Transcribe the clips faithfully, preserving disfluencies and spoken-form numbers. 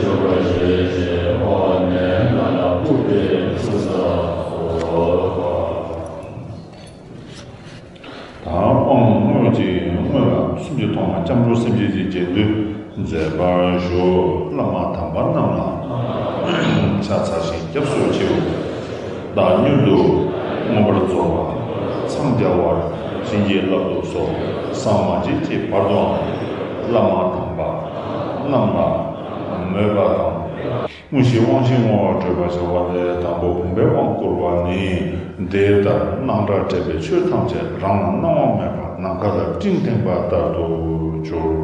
འཇུག་པར་བྱེད་ཅིང་འོག་ནས་ནང་ལ་བཀུག་སྟེ་བཞུགས་སོ། དང་། དབང་བསྔོས་ཀྱིས་བསྔོས་པ་སུམ་ཅུ་ཐོག་མ་སྐྱབས་འགྲོ་སེམས་བསྐྱེད་ཀྱི་རྗེས་ཟློས་མཛད་པར་ཞུ། བླ་མ་དམ་པ་རྣམས་ལ་ཕྱག་འཚལ་ཞིང་སྐྱབས་སུ་མཆིའོ། བདག་མྱུར་དུ་མངོན་པར་རྫོགས་པར་འཚང་རྒྱ་བར་བྱིན་གྱིས་བརླབ་ཏུ་གསོལ། ཟམ་མ་ཆད་ཀྱི་བར་དུའང་བླ་མ་དམ་པ་རྣམས་ལ་མོས་པ་དང་། དངོས་གཞི་དབང་བཞི་བསྔོ་བ་བགྲོད་པར་བྱ་བ་ལས། དང་པོ་བུམ་པའི་དབང་བསྐུར་བ་ནི། འདི་ལྟར་སྣང་གྲགས་བྲལ་བའི་ཆོས་ཐམས་ཅད་རང་ལ་སྣང་བ་མེད་པར་ནམ་མཁའ་ལ་སྤྲིན་འཐེན་པ་ལྟར་དུ་གྱུར།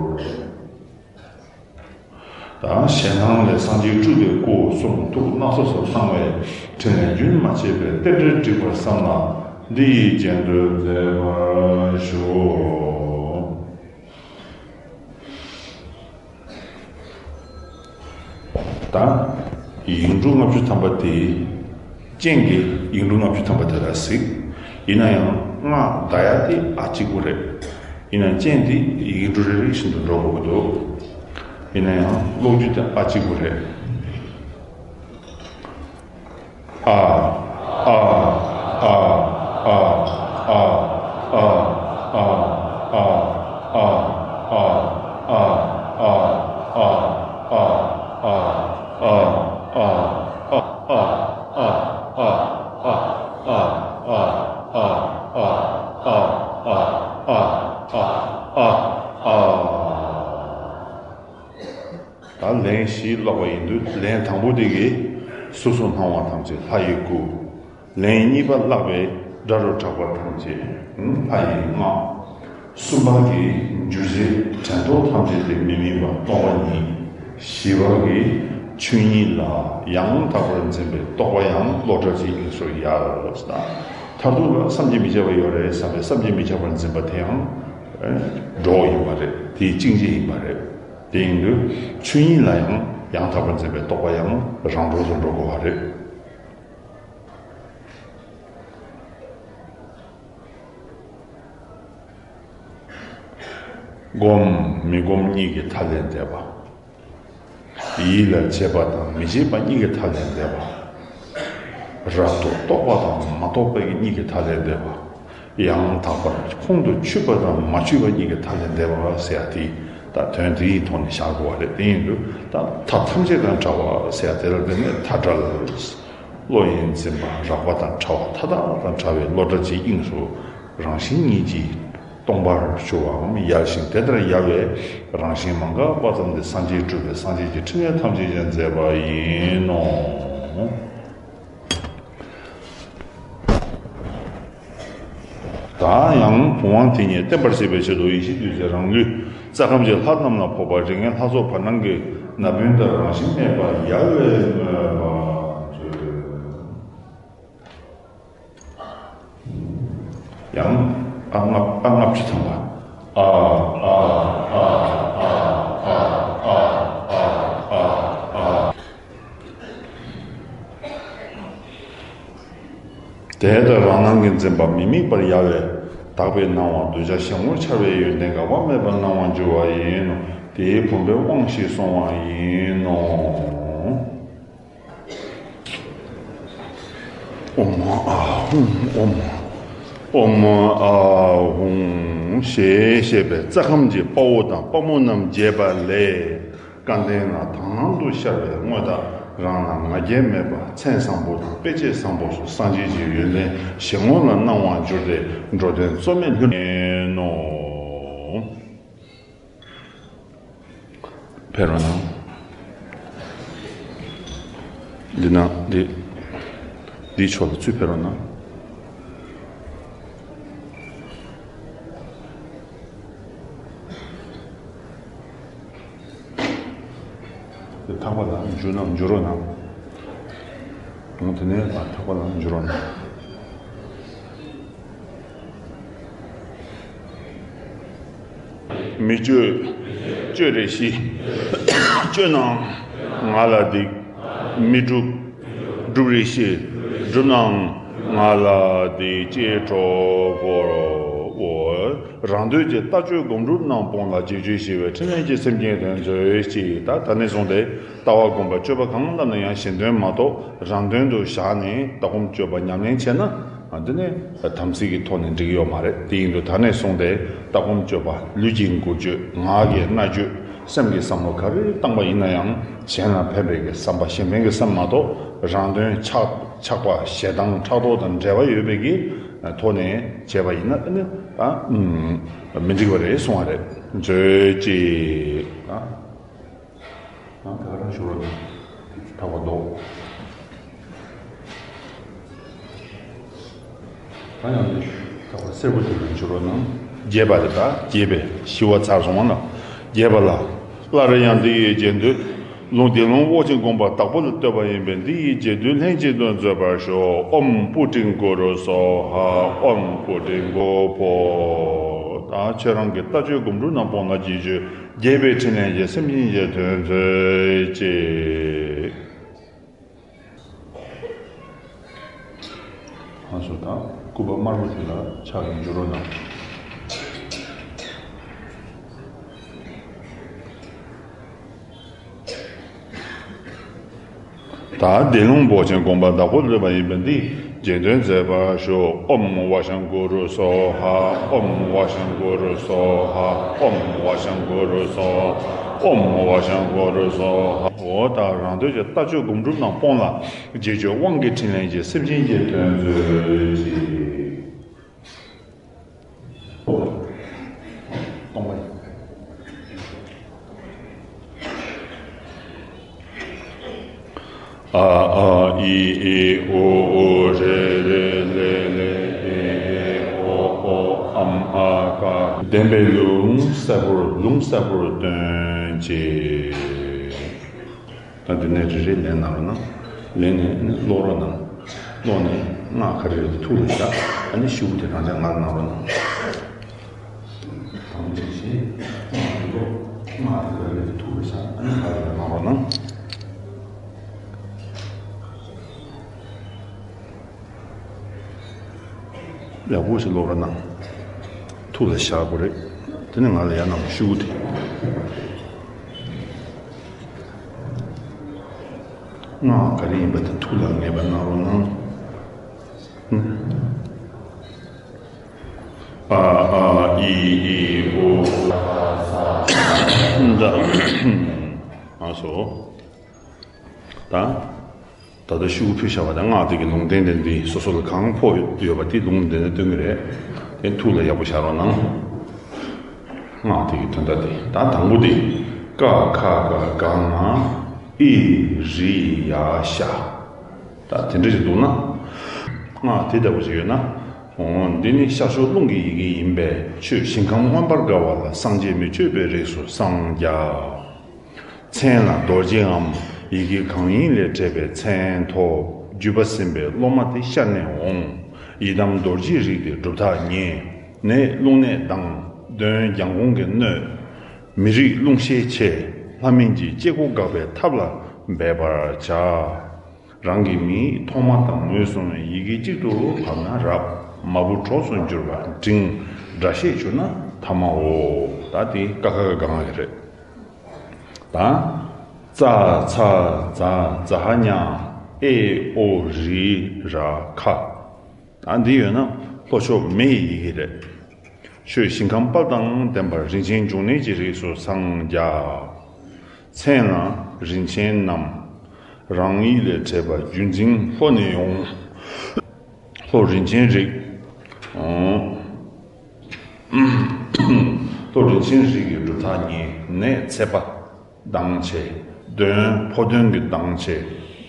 དང་། ཞེད་སྣང་ལས་སངས་རྒྱས་སྤྲུལ་པའི་སྐུ་གསུང་ཐུགས་སྣ་ཚོགས་སུ་སྣང་བའི་ཕྲིན་ལས་རྒྱུན་མ་ཆད་པའི་རྟེན་འབྲེལ་འགྲིག་པར་བསམ་ལ་འདི་ཡི་རྗེས་ཟློས་མཛད་པར་ཞུ། ད་ཡིག་འབྲུ་ལྔ་བཅུ་ཐམ་པ་དེ། སྤྱན་གྱི་ཡིག་འབྲུ་ལྔ་བཅུ་ཐམ་པ་དེ་ལ་གཟིགས། ཡིན་ན་ཡང་སྔགས་བཟླ་ཡ་དེ་ཨ་གཅིག་པུ་རེད། ཡིན་ན་སྤྱན་དེ་ཡིག་འབྲུ་རེ་རེ་བཞིན་དུ་འགྲོ་དགོས་ཀྱི་འདུག་ཡིན་ན་ཡང་ཀློག་རྒྱུ་དེ་ཨ་གཅིག་པུ་རེད། ཨ། ཨ། ཨ། ད་ལན་བཞི་ཀློག་པ་ཡིན་དུས། ལན་དང་པོ་དེ་གིས་གཟུགས་སུ་སྣང་བ་ཐམས་ཅད་ལྷ་ཡི་སྐུ། ལན་གཉིས་པ་བཀླགས་པས་སྒྲ་རུ་གྲགས་པ་ཐམས་ཅད་ལྷ་ཡི་སྔགས། གསུམ་པ་གིས་འགྱུ་བྱེད་དྲན་རྟོག་ཐམས་ཅད་དེ་མི་དམིགས་པ་སྟོང་པ་ཉིད། བཞི་པ་གིས་ཆོས་ཉིད་ལ་ཡང་དག་པར་འཛིན་པའི་རྟོག་པ་ཡང་བློ་གྲགས་ཀྱི་དབྱིངས་སུ་ཡལ་ལོ། མཐར་ཐུག་ལ་བསམ་གྱིས་མི་ཁྱབ་པ་ཡོད་རེད་བསམ་པའི་བསམ་གྱིས་མི་ཁྱབ་པར་འཛིན་པ་དེ་ཡང་འགྲོ་བ་ཡིན་པ་རེད། དེའི་གཅིག་རྗེས་ཡིན་པ་རེད། དེ་ཡིན་དུས་ཆོས་ཉིད་ལ་ཡང་ཡང་དག་པར་འཛིན་པའི་རྟོག་པ་ཡང་རང་གྲོལ་དུ་འགྲོ་དགོས་པ་རེད། སྒོམ་མི་སྒོམ་གཉིས་ཀྱི་མཐའ་ལས་འདས་པ། ཡིད་ལ་བྱེད་པ་དང་མི་བྱེད་པ་གཉིས་ཀྱི་མཐའ་ལས་འདས་པ། རབ་ཏུ་རྟོག་པ་དང་མ་རྟོགས་པའི་གཉིས་ཀྱི་མཐའ་ལས་འདས་པ། ཡང་དག་པར་ཁོང་དུ་ཆུད་པ་དང་མ་ཆུད་པ་གཉིས་ཀྱི་མཐའ་ལས་འདས་པ་ཟེར་ཡ་དེ། ད་དོན་དེའི་ཐོག་ནས་བཞག་དགོས་པ་རེད། དེ་ཡིན་དུས་ད་མཐའ་ཐམས་ཅད་དང་བྲལ་བ་ཟེར་ཡ་དེ་ལ་བརྟེན་ནས་མཐའ་བྲལ། བློ་ཡི་འཛིན་པ་རགས་པ་དང་བྲལ་བ། མཐའ་དག་དང་བྲལ་བའི་བློ་གྲགས་ཀྱི་དབྱིངས་སུ་རང་བཞིན་ཉིད་ཀྱིས་སྟོང་པར་གྱུར་པའམ་ཡལ་ཞིང་། དེ་ལྟར་ཡལ་བའི་རང་བཞིན་མ་འགགས་པ་ཙམ་དེ་སངས་རྒྱས་སྤྲུལ་པའི་སངས་རྒྱས་ཀྱི་ཕྲིན་ལས་ཐམས་ཅད་ཀྱིས་མཛད་པ་ཡིན་ནོ། ད་ཡང་བུམ་དབང་དེ་ཉིད་བརྟན་པར་བྱེད་པའི་ཆེད་དུ་ཡེ་ཤེས་བདུད་རྩིའི་རང་ལུས་རྩ་ཁམས་ཀྱི་ལྷ་རྣམས་ལ་ཕོག་པ། རིགས་ལྔའི་ལྷ་ཚོགས་བར་སྣང་གི་ན་བུན་ལྟར་རང་བཞིན་མེད་པར་ཡལ་བའི་མོས་པ་མཛོད། ཡང་ཨ་ལྔ་ཨ་ལྔ་བཅུ་ཐམ་པ། ཨ་ཨ་ཨ། དེ་ལྟར་རང་སྣང་གི་འཛིན་པ་མི་དམིགས་པར་ཡལ་བས་དག་པའི་སྣང་བ་གདུལ་བྱ་གཞན་ངོར་འཆར་བའི་ཡོན་ཏན་འགག་པ་མེད་པར་སྣང་བར་འགྱུར་བ་ཡིན་ནོ། དེའི་བུམ་པའི་དབང་ཞེས་གསུངས་པ་ཡིན་ནོ། ཨོཾ་ཨཱཿཧཱུྃ། ཨོཾ་ཨཱཿཧཱུྃ་ཞེས་བཤད་པས་རྩ་ཁམས་ཀྱི་དཔའ་བོ་དང་དཔའ་མོ་རྣམས་རྒྱས་པ་ལས། སྐལ་ལྡན་ལ་དང་ལམ་དུ་ཤར་བའི་དངོས་བདག་རང་ལ་ང་རྒྱལ་མེད་པ། མཚན་བཟང་པོ་དང་དཔེ་བྱད་བཟང་པོ་སོགས་སངས་རྒྱས་ཀྱི་ཡོན་ཏན་གཞན་ངོ་ལ་སྣང་བར་འགྱུར་ཏེ་འགྲོ་དོན་རྩོལ་མེད་ལྷུན་གྲུབ་ནོ། ཕེབས་རོགས་གནང་། འདི་ན་འདི་འདིའི་ཕྱོགས་ལ་ཚུར་ཕེབས་རོགས་གནང་། དེ་ཐག་པ་ལ་འཇུ་ན་འཇུ་རོགས་གནང་། འོང་དེ་ནས་ལ་ཐག་པ་ལ་འཇུ་རོགས་གནང་། མི་སྤྱོད་སྤྱོད་རེ་ཤིས། སྤྱོད་ན་ང་ལ་སྡིག་མི་སྒྲུབ་སྒྲུབ་རེ་ཤིས། སྒྲུབ་ན་ང་ལ་སྡིག་ཅེས་གྲོགས་པོར། འོ། རང་དོན་གྱི་ལྟ་སྤྱོད་སྒོམ་སྒྲུབ་རྣམས་སྤོང་ལ་རྗེས་སྤྱོད་ཞི་བའི་ཕྲིན་ལས་ཀྱི་སེམས་ཅན་དོན་མཛོད་ཅིག་ད་ད་ནས་བཟུང་སྟེ་ལྟ་བ་སྒོམ་པ་སྤྱོད་པ་གང་བསླབ་ན་ཡང་གཞན་དོན་མ་གཏོགས་རང་དོན་དུ་བཞག་ནས་ལྟ་སྒོམ་སྤྱོད་པ་ཉམས་ལེན་བྱས་ན་འདི་ནི་དམ་ཚིག་གི་ཐོག་ནས་འགྲིག་གི་ཡོད་མ་རེད། དེ་ཡིན་དུས་ད་ནས་བཟུང་སྟེ་ལྟ་སྒོམ་སྤྱོད་པ་ལུས་ཀྱི་འགུལ་སྐྱོད་ངག་གི་སྨྲ་བརྗོད་སེམས་ཀྱི་བསམ་བློ་ག་རེ་བཏང་པ་ཡིན་ན་ཡང་གཞན་ལ་ཕན་པའི་གི་བསམ་པ་གཞན་ཕན་གྱི་བསམ་མ་གཏོགས་རང་དོན་ཆགས་ཆགས་པ་ཞེ་སྡང་ཕྲག་དོག་དང་འབྲེལ་བ་ཡོད་པའི་གི་ཐོག་ནས་བྱས་པ་ཡིན་ན་ནི་ཨ་མི་འགྲིག་པ་རེད་གསུང་བ་རེད། མཛོད་ཅིག་ཨ་ད་ག་རང་ཞུ་རོགས་གནང་། ཐག་པ་རྡོ། ད་ཡང་ནི་ཐག་པ་སེར་པོ་དེ་ལ་ཞུ་རོགས་གནང་། རྒྱས་པ་རེད་ད། རྒྱས་པས་ཞི་བ་ཚར་སོང་བ་ན། རྒྱས་པ་ལ། སླར་ཡང་འདི་ཡི་རྗེས་ཟློས། ལུང་འདི་ལུང་དབུགས་ཆེན་དགོངས་པ་བདག་པོ་ལ་གཏོད་པ་ཡིན་པས་འདི་ཡི་རྗེས་ཟློས་ལྷན་ཅིག་ཏུ་མཛད་པར་ཞུ། ཨོཾ་པུ་ཊིཾ་གུ་རུ་སྭཱ་ཧཱ། ཨོཾ་པུ་ཊིཾ་གུ་བྷོ། ད་ཁྱེད་རང་གི་ལྟ་སྤྱོད་སྒོམ་སྒྲུབ་རྣམས་སྤོང་ལ་རྗེས་སྤྱོད་རྒྱས་པའི་ཕྲིན་ལས་ཀྱི་སེམས་ཅན་གྱི་དོན་མཛོད་ཅིག་ཨ་སོ་དང་སྐུད་པ་དམར་པོ་དེ་ལ་ཕྱག་གིས་འཇུ་རོགས་གནང་། ད་འདི་ལུང་དབུགས་ཆེན་དགོངས་པ་བདག་པོ་ལ་གཏོད་པ་ཡིན་པས་འདི་རྗེས་ཟློས་མཛད་པར་ཞུ། ཨོཾ་ཝ་ཤཾ་གུ་རུ་སྭཱ་ཧཱ། ཨོཾ་ཝ་ཤཾ་གུ་རུ་སྭཱ་ཧཱ། ཨོཾ་ཝ་ཤཾ་གུ་རུ་སྭཱ་ཧཱ། ཨོཾ་ཝ་ཤཾ་གུ་རུ་སྭཱ་ཧཱ། འོ་ད་རང་དོན་གྱི་ལྟ་སྤྱོད་སྒོམ་སྒྲུབ་རྣམས་སྤོང་ལ། རྗེས་སྤྱོད་དབང་གི་ཕྲིན་ལས་ཀྱི་སེམས་ཅན་གྱི་དོན་མཛོད་ཅིག་སྟོང་པ་ཡིན། ཨ་ཨ་ཨི་ཨི་ཨུ་ཨུ་རེ་རེ་ལེ་ལེ་ཨེ་ཨེ་ཨོ་ཨོ་ཨམ་ཨ་ཀ་བདེན་པའི་ལུང་གསལ་པོར་ལུང་གསལ་པོར་སྟོན་ཅིག་ད་འདི་ནས་རེ་རེ་ལེན་གནང་རོགས་གནང་། ལེན་ནས་ཀློག་རོགས་གནང་། ཀློག་ནས་སྔགས་ག་རེ་རེད་དེ་ཐུགས་ལ་བཞག་ཨ་ནི་ཤུ་གུ་དེ་རང་འཇགས་ངར་གནང་རོགས་གནང་། དང་པོ་དེ་བཞིན་སྔགས་དེ་ཀློག་སྔགས་དེ་ག་རེ་རེད་དེ་ཐུགས་ལ་བཞག་ཨ་ནི་ངར་གནང་རོགས་གནང་། ཡག་པོ་ཞིག་ཀློག་རོགས་གནང་། ཐུགས་ལ་བཞག་དགོས་རེད། དེ་ནས་ང་ལ་ཡར་གནང་ཤུ་གུ་དེ། སྔགས་ག་རེ་ཡིན་པ་དེ་ཐུགས་ལ་ངེས་པ་གནང་རོགས་གནང་། ཨ་ཨ་ཨི་ཨི་ཨོ། ད་ཨ་སོ། ད། ད་ལྟ་ཤུ་གུ་ཕུལ་བཞག་པ་དང་སྔགས་དེ་གི་ལུང་བསྟན་དེ་འདི་སོ་སོ་ལ་གང་ཕོག་ཡོད་པ་དེ་ལུང་བསྟན་ནས་སྟོན་གྱི་རེད། དེ་ཐུགས་ལ་ཡག་པོ་བཞག་རོགས་གནང་། སྔགས་དེ་གི་དོན་དག་དེ་ད་དང་པོ་དེ། ཀ་ཁ་ག་ག་ང་ཨི་རི་ཡ་ཤ། ད་དེ་འདྲ་ཞིག་འདུག་ན། སྔགས་དེ་ལྟ་བུ་ཞིག་ཡོད་ན། འོ་འདི་ནི་ཤར་ཕྱོགས་རླུང་གི་ཡི་གེ་ཡིན་པས་ཆོས་ཞིང་ཁམས་མངོན་པར་དགའ་བ་ལ་སངས་རྒྱས་མི་བསྐྱོད་པའི་རིགས་སུ་སངས་རྒྱ། མཚན་ལ་རྡོ་རྗེའམ་ཡི་གེ་གང་ཡིན་ལས་བྲིས་པའི་མཚན་ཐོབ། བརྒྱུད་པ་ཟིན་པའི་སློབ་མ་དེ་ཤར་ནས་འོང་། ཡི་དམ་རྡོ་རྗེའི་རིགས་དེ་སྒྲུབ་ཐག་ཉེ། ནད་རླུང་ནད་དང་གདོན་རྒྱལ་འགོང་གི་གནོད། མི་རིགས་རླུང་ཤས་ཆེ། ལྷ་མིན་གྱི་སྐྱེ་སྒོ་འགག་པའི་ཐབས་ལ་འབད་པར་བྱ། རང་གི་མིང་ཐོག་མ་དང་ངོས་བཟུང་བའི་ཡི་གེ་གཅིག་ཏུ་བབས་ན་རབ། མ་བུ་གྲོགས་སུ་གྱུར་པ་འབྲིང་། སྒྲ་བཤད་གྱུར་ན་ཐ་མའོ། ད་དེ་ཀ་ཁ་ག་ག་ང་གི་རེད། ད། ཙ་ཚ་ཛ་ཛ་ཧ་ཉ། ཨེ་ཨོ་རི་ར་ཁ། ད་འདི་ཡོད་ན་ལྷོ་ཕྱོགས་མེ་ཡི་ཡི་གེ་རེད། ཆོས་ཞིང་ཁམས་དཔལ་དང་ལྡན་པ་རིན་ཆེན་འབྱུང་གནས་ཀྱི་རིགས་སུ་སངས་རྒྱ། མཚན་ལ་རིན་ཆེན་རྣམས། རང་ཡིག་ལས་བྲིས་པ་བརྒྱུད་འཛིན་ལྷོ་ནས་ཡོང་། ལྷོ་རིན་ཆེན་རིགས། ལྷོ་རིན་ཆེན་རིགས་ཀྱི་སྒྲུབ་ཐག་ཉེ། ནད་ཚད་པ། སྡང་ཆེ། གདོན་ཕོ་གདོན་གྱི་སྡང་ཆེ།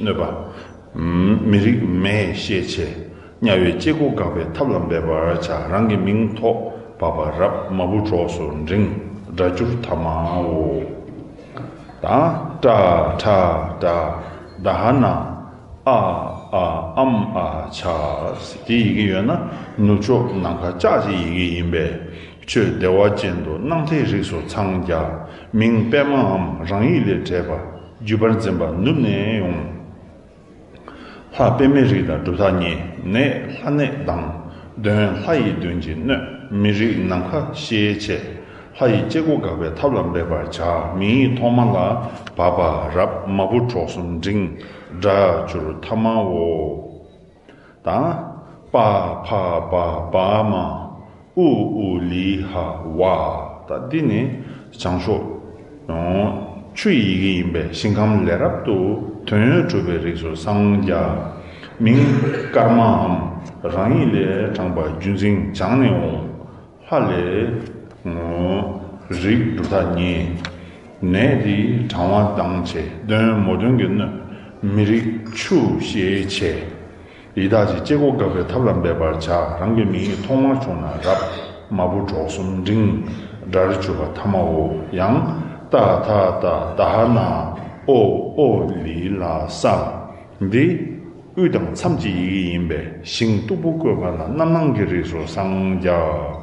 གནོད་པ། མི་རིགས་མེ་ཤས་ཆེ། དམྱལ་བའི་སྐྱེ་སྒོ་འགག་པའི་ཐབས་ལ་འབད་པར་བྱ། རང་གི་མིང་ཐོག་བབས་པ་རབ། མ་བུ་གྲོགས་སུ་འབྲིང་། སྒྲ་སྒྱུར་ཐ་མའོ། ད་ཏྲ་ཁྲ་ཏྲ་ད་ཧ་ན། ཨ་ཨ་ཨམ་ཨ་ཆ། དེ་ཡི་གེ་ཡོད་ན་ནུབ་ཕྱོགས་ནམ་མཁའ་ལྕགས་ཀྱི་ཡི་གེ་ཡིན་པས་ཆོས་བདེ་བ་ཅན་དུ་སྣང་མཐའི་རིགས་སུ་འཚང་རྒྱ། མིང་པདྨའམ་རང་ཡིག་ལས་བྲིས་པ་བརྒྱུད་པར་འཛིན་པ་ནུབ་ནས་ཡོང་། ལྷ་པདྨའི་རིགས་དང་སྒྲུབ་ཐག་ཉེ། ནད་ལྷ་ནད་དང་ འདོན། ལྷ་ཡི་འདོན་གྱིས་གནོད། མི་རིགས་ནམ་མཁའ་ཤེས་བྱའི། ལྷ་ཡི་སྐྱེ་སྒོ་འགག་པའི་ཐབས་ལ་འབད་པར་བྱ། མིང་ཡིག་ཐོག་མ་ལ་བ་བ་རབ། མ་བུ་གྲོགས་གསུམ་འབྲིང་། སྒྲར་གྱུར་ཐ་མའོ། དང་། པ་ཕ་བ་བ་མ། ཨུ་ཨུ་ལི་ཧ་ཝ། ད་འདི་ནི་བྱང་ཕྱོགས་ཆུ་ཡི་ཡི་གེ་ཡིན་པས་ཞིང་ཁམས་ལས་རབ་ཏུ་དོན་ཡོད་གྲུབ་པའི་རིགས་སུ་སངས་རྒྱས། མིང་ཀརྨའམ། རང་ཉིད་ལས་དྲངས་པ་བརྒྱུད་འཛིན་སྦྱངས་ནས་འོང་། ལྷ་ལས། རིགས་གྲུབ་མཐའ་གཉིས། ནད་འདི་གྲང་བ་ལྡང་བྱེད། གདོན་མོ་གདོན་གྱིས་གནོད། མི་རིགས་ཆུ་ཤེས་བྱའི། ཡི་དྭགས་ཀྱི་སྐྱེ་སྒོ་འགག་པའི་ཐབས་ལ་འབད་པར་བྱ། རང་གི་མིང་ཡིག་ཐོག་མར་བྱུང་ན་རབ། མ་བུ་གྲོགས་གསུམ་འབྲིང་། སྒྲར་གྱུར་པ་ཐ་མའོ། ཡང་། ཏ་ཐ་ཏ་ད་ཧ་ན། ཨོ་ཨོ་ལི་ལ་ས། འདི་དབུས་དང་མཚམས་ཀྱི་ཡི་གེ་ཡིན་པས་ཞིང་སྟུག་པོ་བཀོད་པ་ལ་རྣམ་སྣང་གི་རིགས་སུ་སངས་རྒྱས།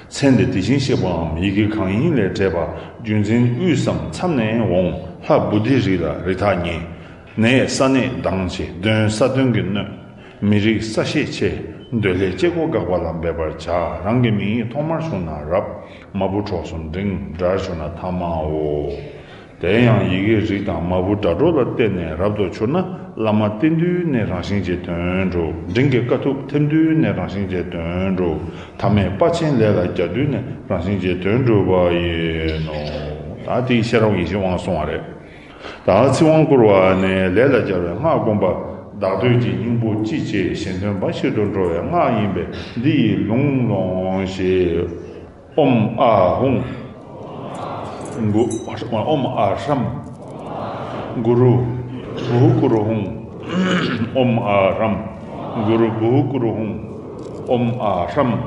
མཚན་འདི་དེ་བཞིན་གཤེགས་པའམ་ཡི་གེ་གང་ཡིན་ལས་འབྲེལ་པ་བརྒྱུད་འཛིན་དབུས་སམ་མཚམས་ནས་འོང་། ལྷ་བུ་དྷི་རིགས་ལ་རིགས་མཐའ་གཉིས། ནད་ས་ནད་ལྡང་བྱེད། གདོན་ས་གདོན་གྱིས་གནོད། མི་རིགས་ས་ཤེས་བྱའི། འདོད་ལྷའི་སྐྱེ་སྒོ་འགག་པ་ལ་འབད་པར་བྱ། རང་གི་མིང་ཡིག་ཐོག་མར་བྱུང་ན་རབ། མ་བུ་གྲོགས་གསུམ་འབྲིང་། སྒྲར་གྱུར་ན་ཐ་མའོ། དེ་ཡང་ཡི་གེའི་རིགས་དང་མ་བུ་སྒྲ་སྒྲོགས་ལ་བརྟེན་ནས་རབ་ཏུ་གྱུར་ན་བླ་མ་བསྟེན་དུས་ནས་རང་བཞིན་གྱིས་དོན་འགྲུབ། འབྲིང་གི་དཀའ་ཐུབ་ཐེམ་དུས་ནས་རང་བཞིན་གྱིས་དོན་འགྲུབ། ཐ་མའི་དཔའ་ཆེན་ལས་ལ་རྒྱག་དུས་ནས་རང་བཞིན་གྱིས་དོན་འགྲུབ་པ་ཡིན་ནོ། ད་དེའི་ཤེས་རབ་ཡེ་ཤེས་དབང་གསུང་བ་རེད། ད་ཚིག་དབང་བསྐུར་བ་ནི་ལས་ལ་སྦྱར་བའི་སྔགས་བསྒོམ་པ། བདག་བསྟོད་ཀྱི་སྙིང་པོ་ཅི་བྱེད་གཞན་དོན་འབའ་ཞིག་ཏུ་འགྲོ་བའི་སྔགས་ཡིན་པས་འདི་ཡི་ལུང་ལོངས་ཤིག་ཨོཾ་ཨཱཿ་ཧཱུྃ། གུ། ཨོཾ་ཨཱཿཧྲཾ། གུ་རུ། བྷཱུ་གུ་རུ་ཧཱུྃ། ཨོཾ་ཨཱཿཧྲཾ། གུ་རུ་བྷཱུ་གུ་རུ་ཧཱུྃ། ཨོཾ་ཨཱཿཧྲཾ།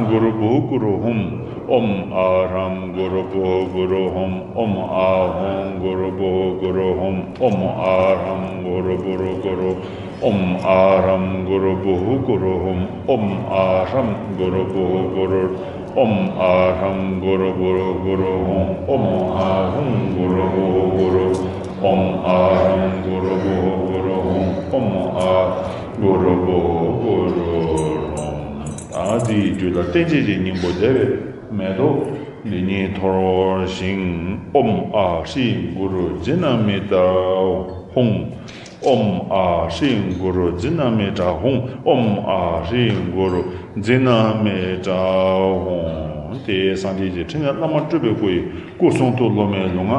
གུ་རུ་བྷཱུ་གུ་རུ་ཧཱུྃ། ཨོཾ་ཨཱཿཧྲཾ། གུ་རུ་བྷཱུ་གུ་རུ་ཧཱུྃ། ཨོཾ་ཨཱཿཧཱུྃ། གུ་རུ་བྷཱུ་གུ་རུ་ཧཱུྃ། ཨོཾ་ཨཱཿཧྲཾ། གུ་རུ་བྷཱུ་གུ་རུ། ཨོཾ་ཨཱཿཧྲཾ། གུ་རུ་བྷཱུ་གུ་རུ་ཧཱུྃ། ཨོཾ་ཨཱཿཧྲཾ། གུ་རུ་བྷཱུ་གུ་རུ། ཨོཾ་ཨཱཿཧྲཾ། གུ་རུ་བྷཱུ་གུ་རུ་ཧཱུྃ། ཨོཾ་ཨཱཿཧཱུྃ། གུ་རུ་བྷཱུ་གུ་རུ། ཨོཾ་ཨཱཿཧཱུྃ། གུ་རུ་བྷཱུ་གུ་རུ་ཧཱུྃ། ཨོཾ་ཨཱཿཧཱུྃ། གུ་རུ་བྷཱུ་གུ་རུ་ཧཱུྃ། ཨ་ཏིའི་རྒྱུད་ལ་བརྟན་བྱེད་ཀྱི་སྙིང་པོ་བཟླས་པའི་མེ་ཏོག་འདི་ཉིད་འཐོར་ཞིང་། ཨོཾ་ཨཱཿཧྲཱིཿ་གུ་རུ་ཛི་ན་མི་ཏྲ་ཧཱུྃ། ཨོཾ་ཨཱཿཧྲཱིཿ་གུ་རུ་ཛི་ན་མི་ཏྲ་ཧཱུྃ། ཨོཾ་ཨཱཿཧྲཱིཿ་གུ་རུ་ཛི་ན་མི་ཏྲ་ཧཱུྃ། དེ་སངས་རྒྱས་ཀྱི་ཕྲིན་ལས་བླ་མ་སྤྲུལ་པའི་སྐུ་ཡི་སྐུ་གསུང་ཐུགས་སློབ་མའི་ལུས་ངག་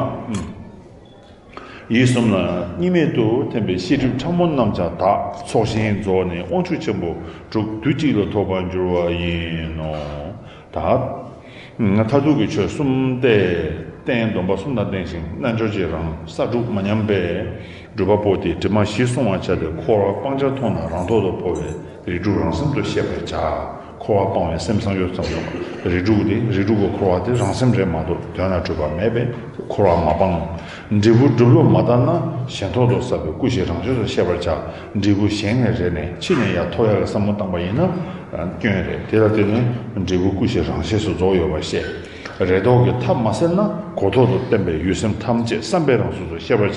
ཡིད་གསུམ་ལ་གཉིས་མེད་དུ་ཐིམ་པས་ཤེས་སྒྲིབ་ཕྲ་མོ་རྣམས་ཀྱང་དག་ཚོགས་ཞིང་རྫོགས་ནས་དབང་ཕྱུག་ཆེན་པོ་དྲུག་དུས་གཅིག་ལ་ཐོབ་པར་འགྱུར་བ་ཡིན་ནོ། ད། མཐར་ཐུག་གི་ཆོས་གསུམ་སྟེ། རྟེན་སྡོམ་པ་གསུམ་དང་ལྡན་ཞིང་རྣལ་འབྱོར་གྱི་རང་ས་དྲུག་མ་ཉམས་པས། སྒྲུབ་པ་པོ་དེས་དྲི་མ་བཞི་བསྲུང་བར་བྱ་སྟེ་འཁོར་བ་སྤང་བྱར་མཐོང་ན་རང་ཐོག་ཏུ་འཕོ་བའི་རིགས་དྲུག་རང་སེམས་སུ་ཤེས་པར་བྱ། འཁོར་བ་སྤང་བའི་སེམས་བསམ་ཡོད་ཙམ་ཡོད། རིགས་དྲུག་དེ་རིགས་དྲུག་གི་འཁོར་བ་དེ་རང་སེམས་རེད་མ་གཏོགས་དོན་ལ་འཁྲུལ་པ་མེད་པས་འཁོར་བ་མ་སྤང་། འབྲས་བུ་སྒྲུབ་ལུགས་མ་དག་ན་གཞན་ཐོག་ཏུ་བསགས་པའི་སྐུ་བཞི་རང་ཆས་སུ་ཤེས་པར་བྱ། འབྲས་བུ་གཞན་ནས་རེ་ནས་ཕྱི་ནས་ཡར་ཐོབ་ཡག་གི་བསམ་བློ་བཏང་པ་ཡིན་ན་སྐྱོན་རེད། དེ་ལ་བརྟེན་ནས་འབྲས་བུ་སྐུ་བཞི་རང་ཆས་སུ་རྫོགས་ཡོད་པར་བཤད། རེ་དོགས་ཀྱི་མཐའ་མ་བསལ་ན་གོ་ཐོག་ཏུ་བརྟན་པའི་ཡུལ་སེམས་ཐམས་ཅད་བསམ་པས་རང་སོ་སོར་ཤེས་པར་བྱ།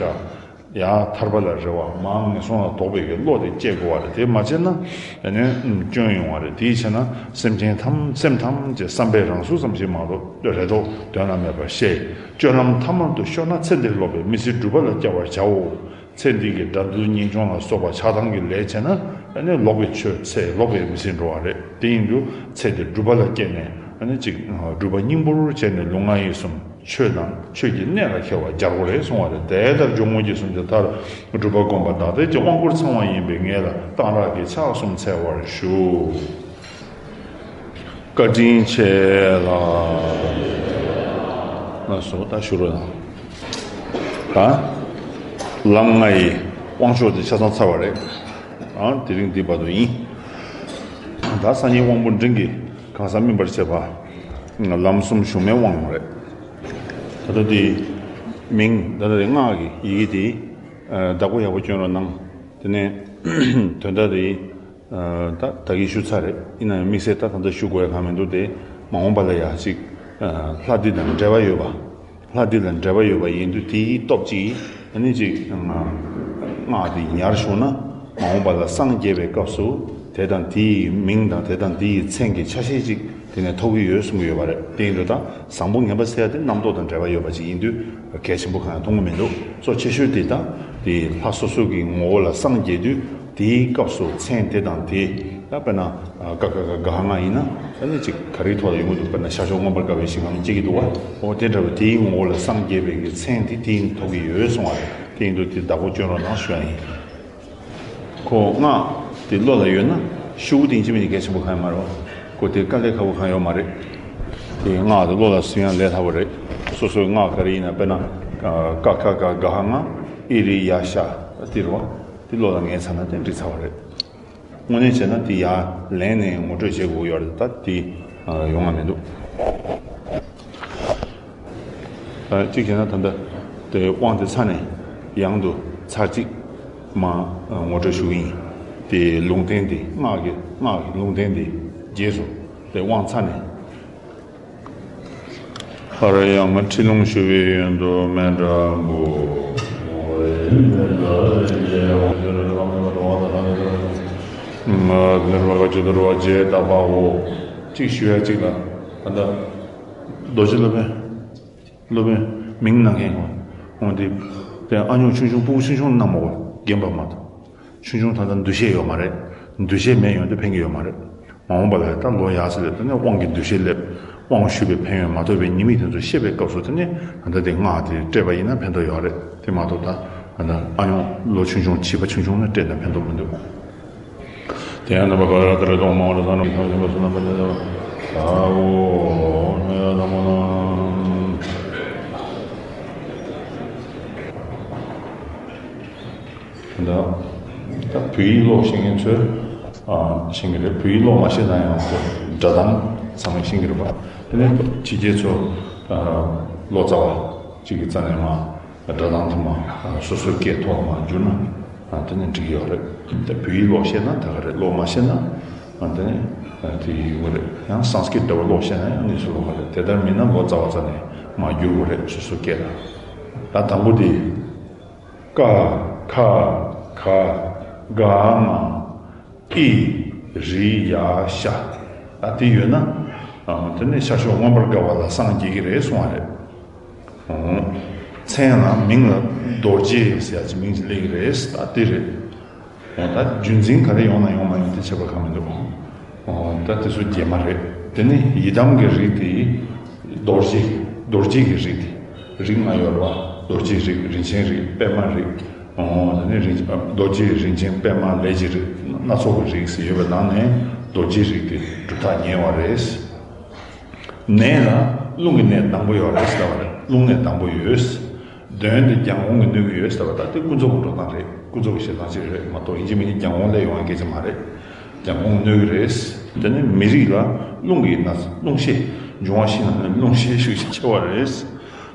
ཡང་ཐར་པ་ལ་རེ་བ་མར་ངན་སོང་ལ་དོགས་པའི་གི་བློ་དེ་སྐྱེ་དགོས་པ་རེད། དེ་མ་བྱས་ན་ཨ་ནི་སྐྱོན་ཡོང་བ་རེད། དེའི་ཕྱིར་ན་སེམས་ཅན་ཐམས་སེམས་ཐམས་ཅད་བསམ་པས་རང་སོ་ཙམ་ཞིག་མ་གཏོགས་རེ་དོགས་དོན་ལ་མེད་པར་ཤེས། སྤྱོད་ལམ་ཐ་མལ་དུ་ཤོར་ན་ཚེ་འདིར་ལོག་པའི་མི་ཚེ་སྒྲུབ་པ་ལ་བསྐྱལ་བར་བྱའོ། ཚེ་འདི་གི་དགྲ་འདུལ་གཉེན་སྐྱོང་ལ་སོགས་པ་ཆགས་སྡང་གི་ལས་བྱས་ན་ཨ་ནི་ལོག་པའི་ཆོས་ཚེ་ལོག་པའི་མི་ཚེ་འགྲོ་བ་རེད། དེ་ཡིན་དུས་ཚེ་འདིར་སྒྲུབ་པ་ལ་བསྐྱལ་ནས་ཨ་ནི་ཅིག་སྒྲུབ་པ་སྙིང་པོར་བྱས་ནས་ལུས་ངག་ཡིད་གསུམ་ཆོས་དང་ཆོས་ཀྱི་གནད་ལ་འཁེལ་བ་རྒྱལ་པོ་རེད་གསུང་བ་རེད། དེ་ལྟར་སྦྱོར་དངོས་ཀྱི་སུམ་ཅུ་མཐར་སྒྲུབ་པ་བསྒོམ་པ་བདག་ལྟའི་དབང་བསྐུར་ཚང་བ་ཡིན་པས་ངེད་ལ་གཏང་རག་གི་ཕྱག་གསུམ་འཚལ་བར་ཞུ། བཀའ་དྲིན་ཆེ་ལ། ལགས་སོ། ད་ཞུ་རོགས་གནང་། ད་ལམ་ལྔ་ཡི་དབང་ཆོག་དེ་ཆ་ཚང་ཚར་བ་རེད། ཨ་དེ་རིང་འདི་བར་དུ་ཡིན། ད་སངས་རྒྱས་དབང་པོ་འབྲིང་གིས་གང་ཟག་སྨིན་པར་བྱེད་པ། ལམ་གསུམ་གཞུང་མའི་དབང་རེད། ད་ལྟ་དེ་མིང་ད་ལྟ་དེ་སྔགས་ཀྱི་ཡི་གེ་དེ་བདག་པོ་ཡག་པོ་སྐྱོན་རོགས་གནང་། དེ་ནས་དོན་དག་དེ་ད་ད་གིན་ཞུ་ཚར་རེད། ཡིན་ན་ཡང་དམིགས་བསལ་ད་ད་ལྟ་ཞུ་དགོས་ཡ་གང་མི་འདུག་དེ་མ་འོངས་པ་ལ་ཡ་ཅིག་ལྷ་འདི་དང་འབྲེལ་བ་ཡོད་པ། ལྷ་འདི་ལ་འབྲེལ་བ་ཡོད་པ་ཡིན་དུས་དེའི་སྟོབས་ཀྱིས་ཨ་ནི་ཅིག་སྔགས་འདི་ཡར་ཞུགས་ན་མ་འོངས་པ་ལ་སངས་རྒྱས་པའི་སྐབས་སུ་ དེ་དང་དེའི་མིང་དང་དེ་དང་དེའི་མཚན་གྱི་ཆ་ཤས་ཅིག་དེ་ནས་ཐོབ་ཀྱི་ཡོད་གསུང་གི་ཡོད་པ་རེད། དེ་ཡིན་དུས་ད་བཟང་པོ་ངན་པ་ཟེར་ཡ་དེ་རྣམ་རྟོག་དང་འབྲེལ་བ་ཡོད་པ་ཅིག་ཡིན་དུས་གལ་ཆེན་པོ་གང་ཡང་མཐོང་གི་མི་འདུག་གཙོ་ཆེ་ཤོས་དེ་ད་དེ་ལྷ་སོ་སོ་གི་ངོ་བོ་ལ་སངས་རྒྱས་དུས་དེའི་སྐབས་སུ་མཚན་དེ་དང་དེ་ད་དཔེར་ན་ཀ་ཁ་ག་ག་ང་ཡིན་ན་ད་ནི་ཅིག་ག་རེའི་ཐོག་ལ་ཡོང་གི་འདུག་དཔེར་ན་ཤར་ཕྱོགས་མངོན་པར་དགའ་བའི་ཞིང་ཁམས་སྐྱེ་གི་འདུག་བ། འོ་དེ་འདྲ་བའི་དེའི་ངོ་བོ་ལ་སངས་རྒྱས་པའི་གི་མཚན་དེ་དེ་ཡིན་ཐོབ་ཀྱི་ཡོད་གསུང་བ་རེད། དེ་ཡིན་དུས་དེ་བདག་པོ་སྐྱོན་རོགས་གནང་ཞུ་ཡ་ཡིན། ཁོ་སྔགས་དེ་བློ་ལ་ཡོད་ན་ཤུ་གུ་དེ་ཡིན་གཅིག་མིན་གཅིག་གལ་ཆེན་པོ་གང་ཡང་མ་རེད་བ། ཁོ་དེ་དཀའ་ལས་ཁག་པོ་གང་ཡོད་མ་རེད། དེ་སྔགས་དེ་བློ་ལ་ཟིན་ཡང་ལས་སླ་པོ་རེད། སོ་སོའི་སྔགས་ག་རེ་ཡིན་ན་དཔེར་ན་ཀ་ཁ་ག་ག་ཧ་ང་ཨི་རི་ཡ་ཤ་དེ་རེད་བ། དེ་བློ་ལ་ངེས་ཚར་ན་དེ་འགྲིག་ཚར་བ་རེད། དངོས་གནས་བྱས་ན་དེ་ཡར་ལེན་ནས་ངོ་སྤྲོད་བྱེད་དགོས་ཡོད་རེད། ད་དེ་ཡོང་བ་མི་འདུག་གཅིག་བྱས་ན་ད་ལྟ་དེ་དབང་དེ་ཚར་ནས་ཡང་དུ་ཚར་གཅིག་མ་ངོ་སྤྲོད་ཞུ་གི་ཡིན། དེ་ལུང་བསྟན་དེ་སྔགས་ཀྱི་སྔགས་ཀྱི་ལུང་བསྟན་དེ་རྗེས་སུ་དེ་དབང་ཚར་ནས། ཧ་ར་ཡ་མ་ཁྲིད་ལུང་ཞུ་བའི་ཡོན་དུ་མཎྜལ་འབུལ། ང་ལ་ར་བ་ག་ཅི་དུ་ར་བ་རྗེས་ད་པའོ། གཅིག་ཞུ་ཡ་གཅིག་ལ་ད་ལྟ། རྡོ་རྗེ་སློབ་དཔོན། སློབ་དཔོན། མིང་གནང་མཁན་ཁོང་། ཁོང་དེ། དེ་ཨ་ཉུང་ཆུང་ཆུང་སྤུ་གུ་ཆུང་ཆུང་གནང་མ་དགོས་རྒན་པ་མ་གཏོགས། ཆུང་ཆུང་ད་ལྟ་འདུ་ཤེས་ཡོད་མ་རེད། འདུ་ཤེས་མེད་ཡོང་དུས་ཕན་གྱི་ཡོད་མ་རེད། མ་འོངས་པ་ལ་ད་ལོ་ཡག་ས་ལས་དེ་ནས་དབང་གི་འདུ་ཤེས་སླེབས། དབང་ཞུས་པའི་ཕན་ཡོན་མ་ཐོས་པའི་ཉེས་དམིགས་དེ་ཚོ་ཤེས་པའི་སྐབས་སུ་དེ་ནས་ད་ལྟ་དེ་སྔགས་དེ་སྤྲད་པ་ཡིན་ན་ཕན་ཐོགས་ཡོད་རེད། དེ་མ་གཏོགས་ད་ད་ལྟ་ཨ་ཉུང་ལོ་ཆུང་ཆུང་བྱིས་པ་ཆུང་ཆུང་ནས་སྤྲད་ན་ཕན་ཐོགས་མི་འདུག་དེ་ཡང་རྣམ་པ་ག་ར་ལྟར་གཏོང་མང་བ་ལ་བཟང་རྣམས་ཐམས་ཅད་པ་བསོད་ནམས་པ་ལ་བཟང་བའོ། ནོ་ཡ་དམ་པོ་ན། ད་ད་བོད་ཡིག་ཀློག་ཤེས་མཁན་ཚོས་ཨ་ཤེས་ཀྱི་རེད། བོད་ཡིག་ཀློག་མ་ཤེས་ན་ཡང་ཁོ་སྒྲ་གདངས་ཚང་མས་ཤེས་ཀྱི་རེད་པ། དེ་ནས་ཕྱི་རྒྱལ་ཚོ་ཨ་ལོ་ཙཱ་བ་གཅིག་གི་རྩ་ནས་མ། སྒྲ་གདངས་དུ་མ་སོ་སོའི་སྐད་ཐོག་མ་བསྒྱུར་ན་དེ་ནི་འགྲིག་ཡོད་རེད། ད་བོད་ཡིག་ཀློག་ཤེས་ན་ད་ག་རེད། ཀློག་མ་ཤེས་ན་དེ་ནི་དེ་ཡོད་རེད། ཡང་སཾ་སྐྲྀ་ཏ་འདྲ་བོ་ཀློག་ཤེས་ན་ཡང་གནས་ཚུལ་ལོགས་ཀ་རེད། དེ་ལྟར་མིན་ན་ལོ་ཙཱ་བ་རྩ་ནས་མ་བསྒྱུར་དགོས་རེད། སོ་སོའི་སྐད་ལ། ད་དང་པོ་དེ། ཀ་ཁ་ག་ག་ང་། ཨི་རི་ཡ་ཤ། ད་དེ་ཡོད་ན། ཨ་དེ་ནས་ཤར་ཕྱོགས་མངོན་པར་དགའ་བ་ལ་སངས་རྒྱས་ཀྱི་རེད་གསུང་བ་རེད། ཨོ། མཚན་ལ་མིང་ལ་རྡོ་རྗེ་ཟེར་ཡ་ཅིག་མིང་ཅིག་སླེབས་ཀྱི་རེད། ད་དེ་རེད། ཨོ་ད་རྒྱུན་འཛིན་ག་རེ་ཡོང་ན་ཡོང་མ་ཡོང་དེ་ཁྱད་པར་གང་མི་འདུག་ཨོ་ད་དེ་ཚོ་རྒྱས་མ་རེད། དེ་ནས་ཡི་དམ་གྱི་རིགས་དེ་རྡོ་རྗེ། རྡོ་རྗེ་གི་རིགས་དེ། རིགས་ལྔ་ཡོད་རེད་པ། རྡོ་རྗེ་རིགས། རིན་ཆེན་རིགས། པདྨ་རིགས། ཨོ་དེ་ནས་རིན་རྡོ་རྗེ་རིན་ཆེན་པདྨ་ལས་ཀྱི་རིགས་སྣ་ཚོགས་ཀྱི་རིགས་སུ་ཡོད་པའི་ནང་ནས་རྡོ་རྗེ་རིགས་དེ་སྒྲུབ་ཐག་ཉེ་བ་རེད། ནས་ལ་རླུང་གི་ནད་དང་པོ་ཡོད་རེད་ཟེར་བ་རེད། རླུང་ནད་དང་པོ་ཡོད། གདོན་དེ་རྒྱལ་འགོང་གིས་གནོད་ཀྱི་ཡོད་ཟེར་བ་ད་དེ་ཀུན་རྫོབ་ཀྱི་འགྲོ་སྟངས་རེད། ཀུན་རྫོབ་ཀྱི་ཞེ་སྡང་ཅིག་རེད་མ་གཏོགས་ཡིན་གཅིག་མིན་གཅིག་རྒྱལ་འགོང་སླེབས་ཡོང་བའི་སྐད་ཆ་མ་རེད། རྒྱལ་འགོང་གིས་གནོད་ཀྱི་རེད། དེ་ནས་མི་རིགས་ལ་རླུང་གི་ན་རླུང་ཤས། འབྱུང་བ་བཞི་ནང་ནས་རླུང་ཤས་ཤུགས་ཆེ་བ་རེད།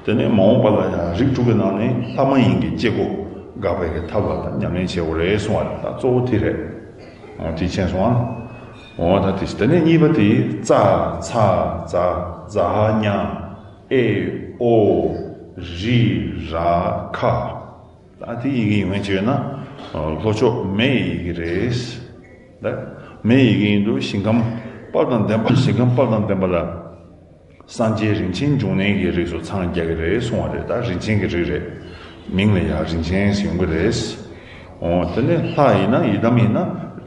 དེ་ནས་མ་འོངས་པ་ལ་ཡང་རིགས་དྲུག་གི་ནང་ནས་ལྷ་མ་ཡིན་གྱི་སྐྱེ་སྒོ་འགག་པའི་གི་ཐབས་ལ་ད་ཉམས་ལེན་བྱེད་དགོས་རེད་གསུང་བ་རེད། ད་གཙོ་བོ་དེ་རེད། འོ་དེ་མཁྱེན་སོང་ཨ། འོ་ད་དེ་དེ་ནས་གཉིས་པ་དེ་ཙ་ཚ་ཛ་ཛ་ཧ་ཉ་ཨེ་ཨོ་རི་ར་ཁ། ད་དེ་ཡི་གེ་ཡོད་མཁན་ཅིག་ཡོད་ན། ལྷོ་ཕྱོགས་མེ་ཡི་གེ་རེད། ད་མེ་ཡི་གེ་ཡིན་དུས་ཞིང་ཁམས་དཔལ་དང་ལྡན་པ། ཞིང་ཁམས་དཔལ་དང་ལྡན་པ་ལ། སངས་རྒྱས་རིན་ཆེན་འབྱུང་གནས་ཀྱི་རིགས་སུ་འཚང་རྒྱ་གི་རེད་གསུང་བ་རེད། ད་རིན་ཆེན་གྱི་རིགས་རེད། མིང་ལ་ཡང་རིན་ཆེན་ཟེར་ཡོང་གི་རེད། འོ་དེ་ནས་ལྷ་ཡིན་ན་ཡི་དམ་ཡིན་ན་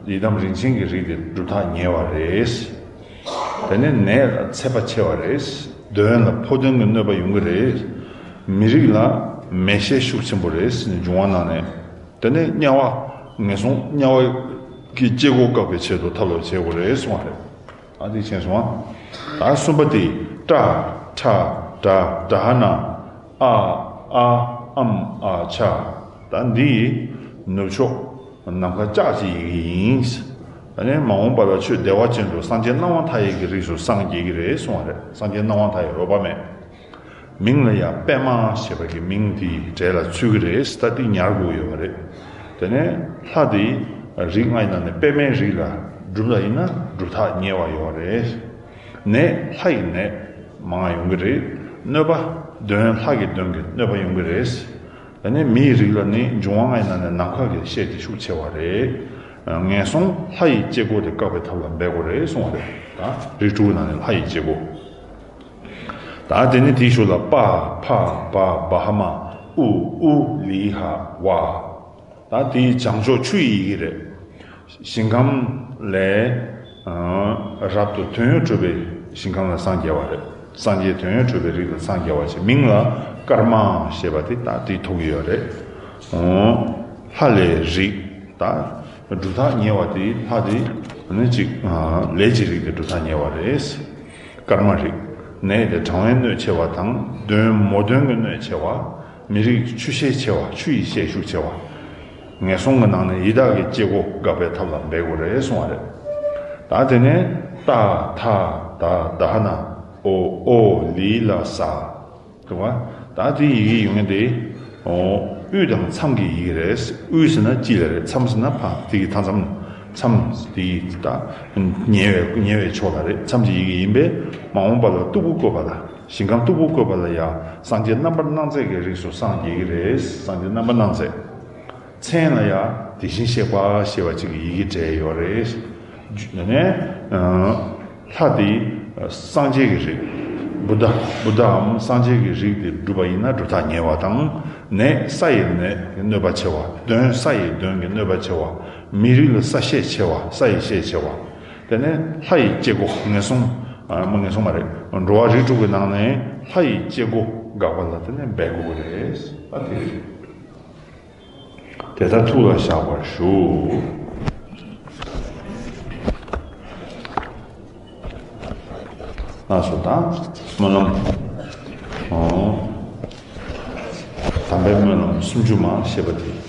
ཡི་དམ་རིན་ཆེན་གྱི་རིགས་དེ་སྒྲུབ་ཐག་ཉེ་བ་རེད། དེ་ནས་ནད་ལ་ཚད་པ་ཆེ་བ་རེད། གདོན་ལ་ཕོ་གདོན་གྱི་གནོད་པ་ཡོང་གི་རེད། མི་རིགས་ལ་མེ་ཤས་ཤུགས་ཆེན་པོ་རེད། འབྱུང་བ་ནང་ནས། དེ་ནས་དམྱལ་བ། ངན་སོང་དམྱལ་བ་གི་སྐྱེ་སྒོ་བཀག་པའི་ཆེད་དུ་ཐབས་ལ་བྱེད་དགོས་རེད་གསུང་བ་རེད། ཨ་དེ་མཁྱེན་སོང་ཨ། ད་གསུམ་པ་དེ། ཏྲ་ཁྲ་ཏྲ་ཏྲ་ཧ་ན། ཨ་ཨ་ཨམ་ཨ་ཆ། ད་འདི་ནུབ་ཕྱོགས་ནམ་མཁའ་ལྕགས་ཀྱི་ཡི་གེ་ཡིན། ད་ནི་མ་འོངས་པ་ལ་ཆོས་བདེ་བ་ཅན་དུ་སངས་རྒྱས་སྣང་བ་མཐའ་ཡས་ཀྱི་རིགས་སུ་སངས་རྒྱས་ཀྱི་རེད་གསུང་བ་རེད། སངས་རྒྱས་སྣང་བ་མཐའ་ཡས་རོལ་པ་མེད། མིང་ལ་ཡང་པདྨ་ཞེས་པ་གི་མིང་དེའི་གྲས་ལ་ཚུད་ཀྱི་རེད། ད་འདི་ཉར་དགོས་ཡོད་པ་རེད། དེ་ནས་ལྷ་དེ་རིགས་ལྔ་ཡི་ནང་ནས་པདྨའི་རིགས་ལ་སྒྲུབ་ལ་ཡིན་ན་སྒྲུབ་ཐག་ཉེ་བ་ཡོད་རེད། ནད་ལྷ་ཡི་ནད་མང་ཡོང་གི་རེད། གནོད་པ་གདོན་ལྷ་གི་གདོན་གྱི་གནོད་པ་ཡོང་གི་རེད། དེ་ནས་མིའི་རིགས་ལ་ནི་འབྱུང་བ་ལྔ་ཡི་ནང་ནས་ནམ་མཁའ་གི་ཤས་དེ་ཤུགས་ཆེ་བ་རེད། ངན་སོང་ལྷ་ཡི་སྐྱེ་སྒོ་དེ་བཀག་པའི་ཐབས་ལ་འབད་དགོས་རེད་གསུངས་པ་རེད། ད་རིགས་དྲུག་ནང་ནས་ལྷ་ཡི་སྐྱེ་སྒོ། ད་དེ་ནས་དེའི་ཤུལ་ལ་པ་ཕ་བ་བ་ཧ་མ་ཨུ་ཨུ་ལི་ཧ་ཝ། ད་དེའི་བྱང་ཕྱོགས་ཆུ་ཡི་ཡི་གེ་རེད། ཞིང་ཁམས་ལས་རབ་ཏུ་དོན་ཡོད་གྲུབ་པའི་ཞིང་ཁམས་ལ་སངས་རྒྱས་པ་རེད། སངས་རྒྱས་དོན་ཡོད་གྲུབ་པའི་རིགས་ལ་སངས་རྒྱས་པ་ཞེས་མིང་ལ་ཀརྨ་ཞེས་པ་དེ་ད་དེའི་ཐུག་གི་ཡོད་རེད། ལྷ་ལས་རིགས། ད་གྲུབ་མཐའ་ཉེ་བ་དེ་ལྷ་དེ་ནི་གཅིག་ལས་ཀྱི་རིགས་དེ་གྲུབ་མཐའ་ཉེ་བ་རེད། ཀརྨ་རིགས། ནད་དེ་གྲང་བའི་གནོད་ཆེ་བ་དང་གདོན་མོ་གདོན་གྱི་གནོད་ཆེ་བ། མི་རིགས་ཆུ་ཤས་ཆེ་བ། ཆུ་ཡི་ཤས་ཤུགས་ཆེ་བ། ངན་སོང་གི་ནང་ནས་ཡི་དྭགས་ཀྱི་སྐྱེ་སྒོ་འགག་པའི་ཐབས་ལ་འབད་དགོས་རེད་གསུངས་པ་རེད། ད་དེ་ནས་ཏ་ཐ་ད་ད་ཧ་ན་ཨོ་ཨོ་ལི་ལ་ས། དུ་བ། ད་དེ་ཡི་གེ་ཡོང་ངེས་དེ། ཨོ། དབུས་དང་མཚམས་ཀྱི་ཡི་གེ་རེད། དབུས་ཟེར་ན་དཀྱིལ་ལ་རེད། མཚམས་ཟེར་ན་ཕ་དེ་གི་མཐའ་མཚམས། མཚམས་དེ་ད་ཉེ་བའི་ཉེ་བའི་ཕྱོགས་ལ་རེད། མཚམས་ཀྱི་ཡི་གེ་ཡིན་པས་མ་འོངས་པ་ལ་སྟུག་པོ་བཀོད་པ་ལ། ཞིང་ཁམས་སྟུག་པོ་བཀོད་པ་ལ་ཡ། སངས་རྒྱས་རྣམ་པར་སྣང་མཛད་ཀྱི་རིགས་སུ་སངས་རྒྱས་ཀྱི་རེད། སངས་རྒྱས་རྣམ་པར་སྣང་མཛད། མཚན་ལ་ཡ་དེ་བཞིན་གཤེགས་པ་ཞེས་པ་ཅིག་གི་ཡི་གེ་བྲིས་ཡོད་རེད། ནས་ལྷ་དེ་སངས་རྒྱས་ཀྱི་རིགས། བུདྡྷ། བུདྡྷའམ་སངས་རྒྱས་ཀྱི་རིགས་དེ་བསྒྲུབས་པ་ཡིན་ན་གྲུབ་མཐའ་ཉེ་བ་དང་། ནད་ས་ཡི་ནད་ཀྱི་གནོད་པ་ཆེ་བ། གདོན་ས་ཡི་གདོན་གྱི་གནོད་པ་ཆེ་བ། མི་རིགས་ལ་ས་ཤས་ཆེ་བ། ས་ཡི་ཤས་ཆེ་བ། དེ་ནས་ལྷ་ཡི་སྐྱེ་སྒོ་ངན་སོང་། ཨ་མ་ངན་སོང་མ་རེད། འགྲོ་བ་རིགས་དྲུག་གི་ནང་ནས་ལྷ་ཡི་སྐྱེ་སྒོ་འགག་པ་ལ་དེ་ནས་འབད་དགོས་ཀྱི་རེད། ཨ་དེ་རེད། དེ་ལྟར་ཐུགས་ལ་བཞག་པར་ཞུ། ལགས་སོ། ད་སྨོན་ལམ། ཨོ། དམ་པའི་སྨོན་ལམ་སུམ་ཅུ་མ་ཞེས་པ་དེ་